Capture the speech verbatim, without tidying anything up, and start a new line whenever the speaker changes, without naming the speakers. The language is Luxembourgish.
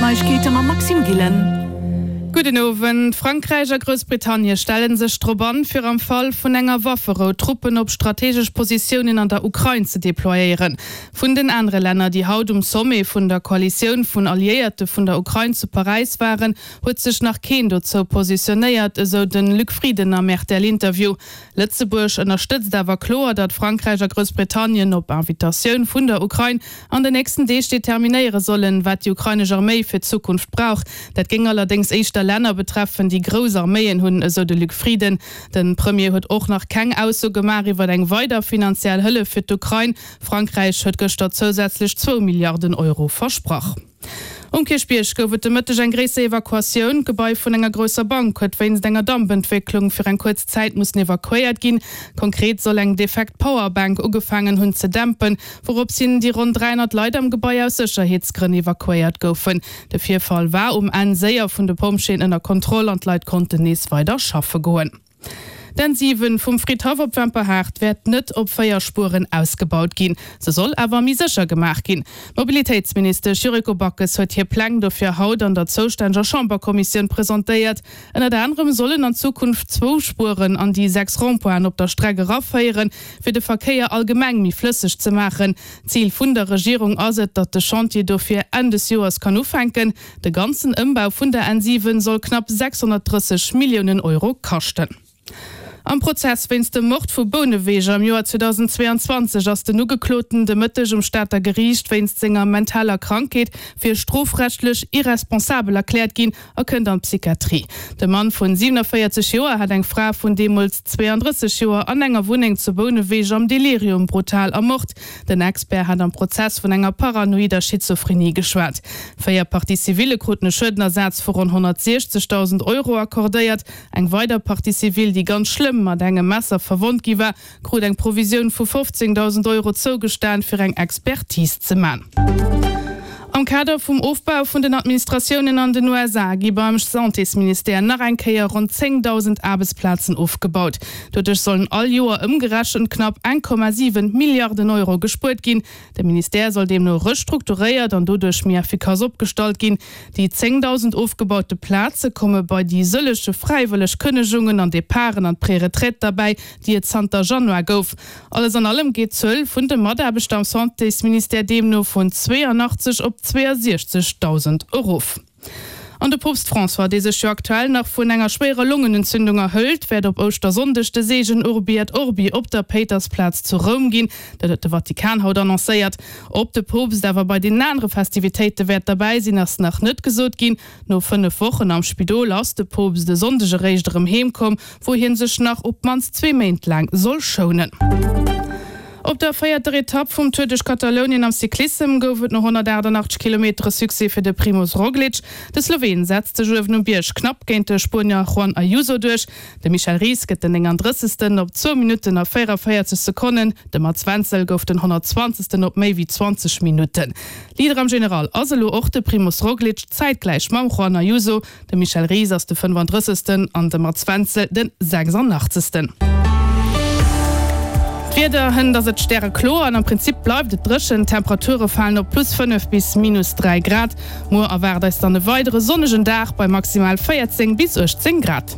D'Neiegkeete mam Maxime Gillen.
Gudden Owend. Frankräich a Groussbritannie stelle sech drop an, fir am Fall vun enger Wafferou Truppen op strategesch Positiounen an der Ukrain ze deployéieren. Vun den anere Länner, déi haut um Sommet vun der Koalitioun vun Alliéierte vun der Ukrain zu Paräis waren, huet sech nach keen dozou positionéiert, esou de Luc Frieden am R T L-Interview. Lëtzebuerg ënnerstëtzt awer kloer, datt Frankräich a Groussbritannien op Invitatioun vun der Ukrain an den nächsten Deeg determinéiere sollen, wat déi ukrainesch Arméi fir d'Zukunft brauch. Dat géing allerdéngs éischter Länner betreffen, déi grouss Arméien hunn, esou de Luc Frieden. De Premier huet och nach keng Ausso gemaach iwwer eng weider finanziell Hëllef fir d'Ukrain. Frankräich huet gëschter zousätzlech zwou Milliarden Euro versprach. Um Kierchbierg gouf et de Mëtteg eng gréisser Evakuatioun. D'Gebai vun enger grousser Bank huet wéinst enger Dampentwécklung fir eng kuerz Zäit mussen evakuéiert ginn. Konkret soll eng defekt Powerbank ugefaangen hunn ze dämpen, wourops hin déi ronn dräihonnert Leit am Gebai aus Sécherheetsgrënn evakuéiert goufen. De Virfall war um Enn séier vun de Pompjeeën ënner Kontroll an d'Leit konnten nees weider schaffe goen. D'N siwen vum Fridhaff op Wemperhaart wäert net op véier Spueren ausgebaut ginn. Se soll awer méi sécher gemaach ginn. D'Mobilitéitsministesch Yuriko Backes huet hir Pläng dofir haut an der zoustänneger Chamberkommissioun presentéiert. Ënnert anerem sollen an Zukunft zwou Spueren an déi sechs Rond-pointen op der Streck eraféieren, fir de Verkéier allgemeng méi flësseg ze maachen. Zil vun der Regierung ass et, datt de Chantier dofir Enn des Joers kann ufänken. De ganzen Ëmbau vun der N siwen soll knapp sechshonnertdrësseg Milliounen Euro kaschten. Am Prozess wéinst dem Mord vu Bouneweg am Joer zweedausendzweeanzwanzeg ass den Ugekloten de Mëtteg um Stater Geriicht wéinst senger mentaler Krankheet fir strofrechtlech irresponsabel erkläert ginn a kënnt an d'Psychiatrie. De Mann vun siewenavéierzeg Joer hat eng Fra vun deemools zweeandrësseg Joer an enger Wunneng zu Bouneweg am Delirium brutal ermort. Den Expert hat am Prozess vun enger paranoider Schizophrenie geschwat. Véier Partie-civillë kruten e Schuedenersaz vu ronn honnertsiechzegdausend Euro accordéiert. Eng weider Partie civile, déi ganz schlëmm mat engem Messer verwonnt gi war, krut eng Provisioun vu fofzéngdausend Euro zougestan, fir eng Expertise ze man. Am Kader vum Ofbau vun den Administratiounen an den U S A gi beim Santésministère nach eng Kéier ronn zéngdausend Aarbechtsplazen ofgebaut. Doduerch sollen all Joer ëmgerechent knapp eng Komma siwen Milliarden Euro gespuert ginn. De Ministère soll deemno restrukturéiert an doduerch méi effikass opgestallt ginn. Déi zéngdausend ofgebaute Plaze komme bei déi sëllege fräiwëlleg Kënnegungen an Departen an d'Preretraite derbäi, déi et zanter Januar gouf. Alles an allem geet d'Zuel vun de Mataarbechter am Santésministère deemno vun zweeanachtzeg op zweeasiechzegdausend erof. An de Poopst François, dee sech jo aktuell nach vun enger schwéierer Longenentzündung erhëlt, wäert op Ouschtersonndeg de Seegen Urbi et Orbi op der Péitersplaz zu Roum ginn. Dat huet de Vatikan haut annoncéiert. Ob de Poopst awer bei den anere Festivitéite wäert derbäi sinn, ass nach net gesot ginn. No fënnef Wochen am Spidol ass de Poopst e Sonndeg eréischt erëm heem komm, wou hie sech nach op d'mannst zwee Méint laang soll schounen. Op der véierter Etapp vum Tour duerch Katalounien am Cyclissem gouf et no honnertaachtanachtzeg Kilometere Succès fir de Primoz Roglic. De Sloween setzt sech uewen um Bierg knapp géint de Spuenier Juan Ayuso duerch. De Michel Ries gëtt den néngandrëssegsten op zwou Minutten a véieravéierzeg Sekonnen. De Mats Wenzel gouf den honnertzwanzegsten op méi wéi zwanzeg Minutten. Leader am General ass elo och de Primoz Roglic, zäitgläich mam Juan Ayuso. De Michel Ries ass de fënnefandrëssegsten an de Mats Wenzel de sechsandachtzegsten. D'Wieder, Hënt ass et stärekloer an am Prinzip bleift et dréchen. D'Temperature falen op plus fënnef bis minus dräi Grad. Muer erwaart eis dann e weidere sonnegen Dag bei maximal véierzéng bis uechtzéng Grad.